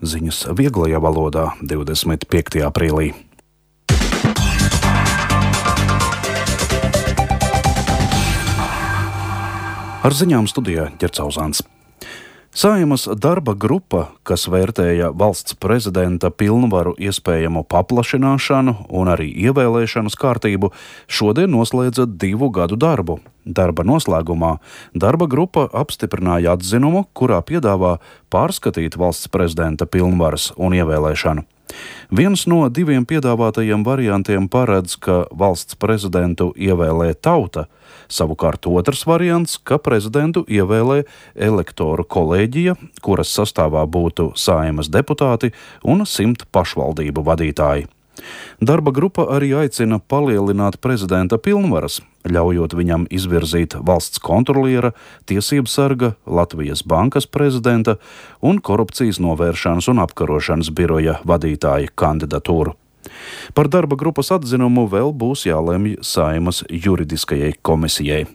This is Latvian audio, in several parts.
Ziņas vieglajā valodā 25. aprīlī. Ar ziņām studijā Ģercauzāns. Saeimas darba grupa, kas vērtēja valsts prezidenta pilnvaru iespējamu paplašināšanu un arī ievēlēšanas kārtību, šodien noslēdza 2 gadu darbu. Darba noslēgumā darba grupa apstiprināja atzinumu, kurā piedāvā pārskatīt valsts prezidenta pilnvaras un ievēlēšanu. Viens no 2 piedāvātajiem variantiem paredz, ka valsts prezidentu ievēlē tauta, savukārt otrs variants, ka prezidentu ievēlē elektoru kolēģija, kuras sastāvā būtu Saeimas deputāti un 100 pašvaldību vadītāji. Darba grupa arī aicina palielināt prezidenta pilnvaras, ļaujot viņam izvirzīt valsts kontroliera, tiesību sarga, Latvijas bankas prezidenta un korupcijas novēršanas un apkarošanas biroja vadītāja kandidatūru. Par darba grupas atzinumu vēl būs jālemj Saeimas juridiskajai komisijai.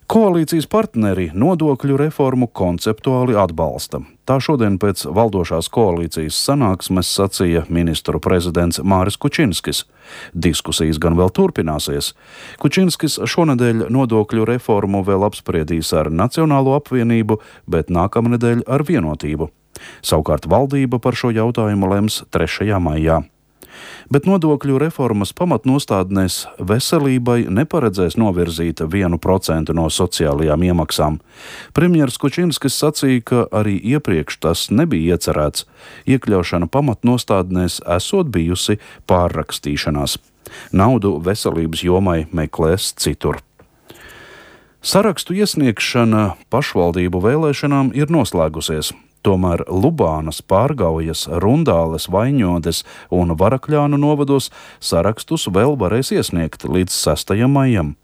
Koalīcijas partneri nodokļu reformu konceptuāli atbalsta. Tā šodien pēc valdošās koalīcijas sanāksmes sacīja ministru prezidents Māris Kučinskis. Diskusijas gan vēl turpināsies. Kučinskis šonedēļ nodokļu reformu vēl apspriedīs ar Nacionālo apvienību, bet nākamnedēļ ar Vienotību. Savukārt valdība par šo jautājumu lems 3. maijā. Bet nodokļu reformas pamatnostādnēs veselībai neparedzēs novirzīt 1% no sociālajām iemaksām. Premjers Kučinskis sacīja, ka arī iepriekš tas nebija iecerēts. Iekļaušana pamatnostādnēs esot bijusi pārrakstīšanās. Naudu veselības jomai meklēs citur. Sarakstu iesniegšana pašvaldību vēlēšanām ir noslēgusies. Tomēr Lubānas, Pārgaujas, Rundāles, Vaņodes un Varakļānu novados sarakstus vēl varēs iesniegt līdz 6. maijam.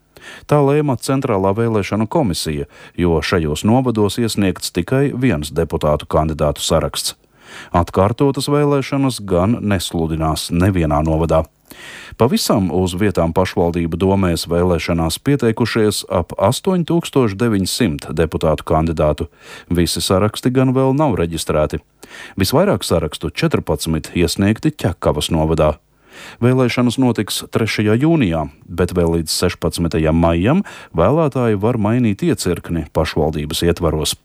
Tā lēma Centrālā vēlēšanu komisija, jo šajos novados iesniegts tikai 1 deputātu kandidātu saraksts. Atkārtotas vēlēšanas gan nesludinās nevienā novadā. Pavisam uz vietām pašvaldību domēs vēlēšanās pieteikušies ap 8900 deputātu kandidātu. Visi saraksti gan vēl nav reģistrēti. Visvairāk sarakstu 14 iesniegti Ķekavas novadā. Vēlēšanas notiks 3. jūnijā, bet vēl līdz 16. maijam vēlētāji var mainīt iecirkni pašvaldības ietvaros.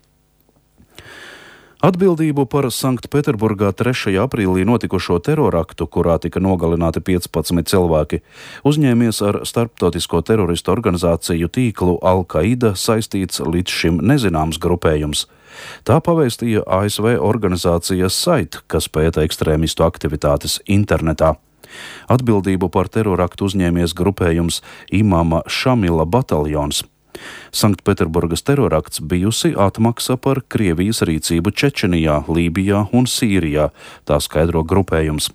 Atbildību par Sanktpēterburgā 3. aprīlī notikušo teroraktu, kurā tika nogalināti 15 cilvēki, uzņēmies ar starptautisko teroristu organizāciju tīklu Al-Qaida saistīts līdz šim nezināms grupējums. Tā pavēstīja ASV organizācija SITE, kas pēta ekstrēmistu aktivitātes internetā. Atbildību par teroraktu uzņēmies grupējums Imama Šamila bataljons. Sanktpēterburgas terorakts bijusi atmaksa par Krievijas rīcību Čečenijā, Lībijā un Sīrijā, tā skaidro grupējums.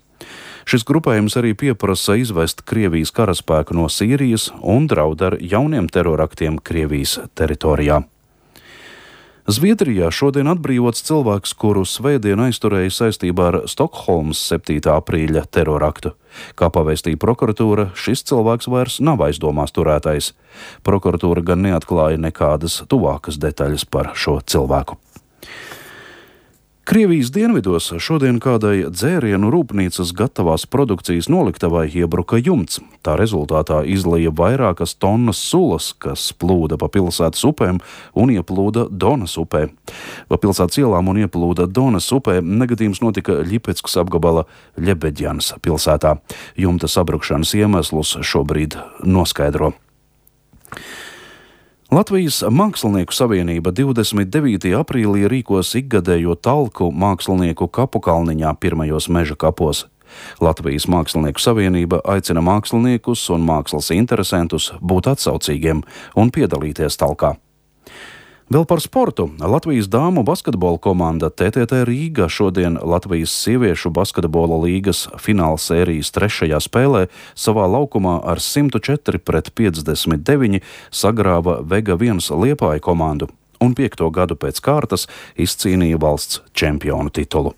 Šis grupējums arī pieprasa izvest Krievijas karaspēku no Sīrijas un draud ar jauniem teroraktiem Krievijas teritorijā. Zviedrijā šodien atbrīvots cilvēks, kuru svētdien aizturēja saistībā ar Stokholmas 7. aprīļa teroraktu. Kā pavēstīja prokuratūra, šis cilvēks vairs nav aizdomās turētais. Prokuratūra gan neatklāja nekādas tuvākas detaļas par šo cilvēku. Krievijas dienvidos šodien kādai dzērienu rūpnīcas gatavās produkcijas noliktavai iebruka jumts. Tā rezultātā izlija vairākas tonnas sulas, kas plūda pa pilsētas upēm un ieplūda Donas upē. Pa pilsētas ielām un ieplūda Donas upē negadījums notika Ļipeckas apgabala Ļebeģjanas pilsētā. Jumta sabrukšanas iemeslus šobrīd noskaidro. Latvijas Mākslinieku savienība 29. aprīlī rīkos ikgadējo talku mākslinieku kapu kalniņā pirmajos meža kapos. Latvijas Mākslinieku savienība aicina māksliniekus un mākslas interesantus būt atsaucīgiem un piedalīties talkā. Vēl par sportu. Latvijas dāmu basketbola komanda TTT Rīga šodien Latvijas sieviešu basketbola līgas fināla sērijas 3. spēlē savā laukumā ar 104-59 sagrāva Vega 1 Liepāja komandu un 5. gadu pēc kārtas izcīnīja valsts čempionu titulu.